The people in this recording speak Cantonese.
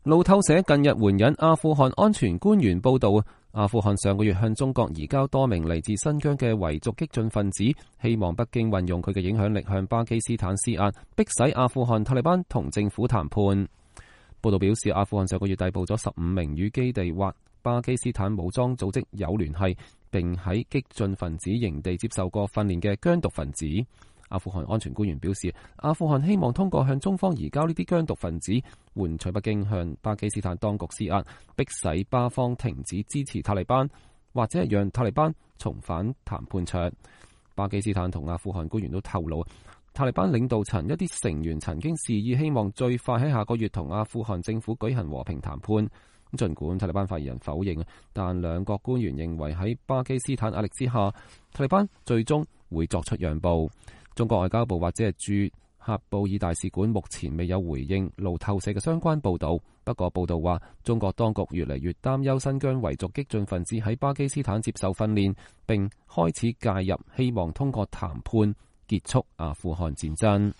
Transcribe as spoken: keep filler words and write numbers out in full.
路透社近日援引阿富汗安全官員報道，阿富汗上個月向中國移交多名嚟自新疆嘅維族激進分子，希望北京運用佢嘅影響力向巴基斯坦施壓，迫使阿富汗塔利班同政府談判。報道表示，阿富汗上個月逮捕咗十五名與基地或巴基斯坦武裝組織有聯繫，並喺激進分子營地接受過訓練嘅疆獨分子。阿富汗安全官員表示，阿富汗希望通過向中方移交呢啲疆獨分子，換取北京向巴基斯坦當局施壓，迫使巴方停止支持塔利班，或者係讓塔利班重返談判桌。巴基斯坦同阿富汗官員都透露，塔利班領導層一啲成員曾經示意希望最快喺下個月同阿富汗政府舉行和平談判。儘管塔利班發言人否認，但兩國官員認為喺巴基斯坦壓力之下，塔利班最終會作出讓步。中國外交部或者係駐喀布爾大使館目前未有回應路透社嘅相關報導。不過報導話，中國當局越嚟越擔憂新疆維族激進分子喺巴基斯坦接受訓練，並開始介入，希望通過談判結束阿富汗戰爭。